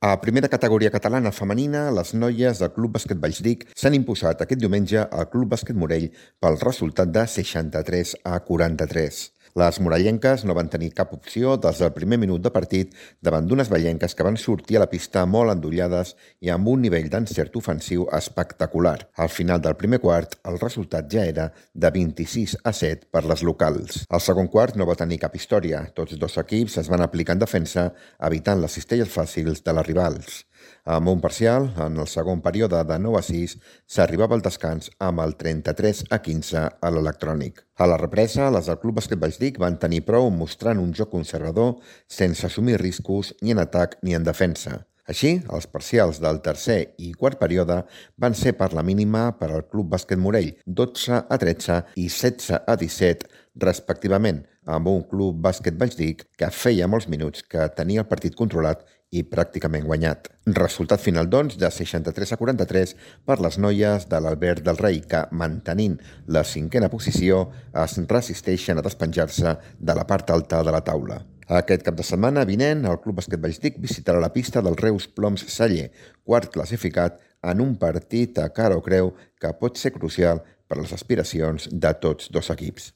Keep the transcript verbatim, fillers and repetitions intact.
A primera categoria catalana femenina, les noies del Club Bàsquet Vallsdic s'han imposat aquest diumenge al Club Bàsquet Morell pel resultat de seixanta-tres a quaranta-tres. Les morellenques no van tenir cap opció des del primer minut de partit davant d'unes vallenques que van sortir a la pista molt endollades i amb un nivell d'encert ofensiu espectacular. Al final del primer quart, el resultat ja era de vint-i-sis a set per les locals. El segon quart no va tenir cap història. Tots dos equips es van aplicar en defensa, evitant les cistelles fàcils de les rivals. Amb un parcial, en el segon període de nou a sis, s'arribava al descans amb el trenta-tres a quinze a l'electrònic. A la represa, les del Club Bàsquet Vallsdic van tenir prou mostrant un joc conservador sense assumir riscos ni en atac ni en defensa. Així, els parcials del tercer i quart període van ser per la mínima per al Club Bàsquet Morell, dotze a tretze i setze a disset, respectivament, amb un Club Bàsquet Vallsdic que feia molts minuts que tenia el partit controlat i pràcticament guanyat. Resultat final, doncs, de seixanta-tres a quaranta-tres per les noies de l'Albert del Rei, que, mantenint la cinquena posició, es resisteixen a despenjar-se de la part alta de la taula. Aquest cap de setmana vinent, el Club Bàsquet Vallsdic visitarà la pista del Reus Ploms Celler, quart classificat, en un partit a cara o creu que pot ser crucial per a les aspiracions de tots dos equips.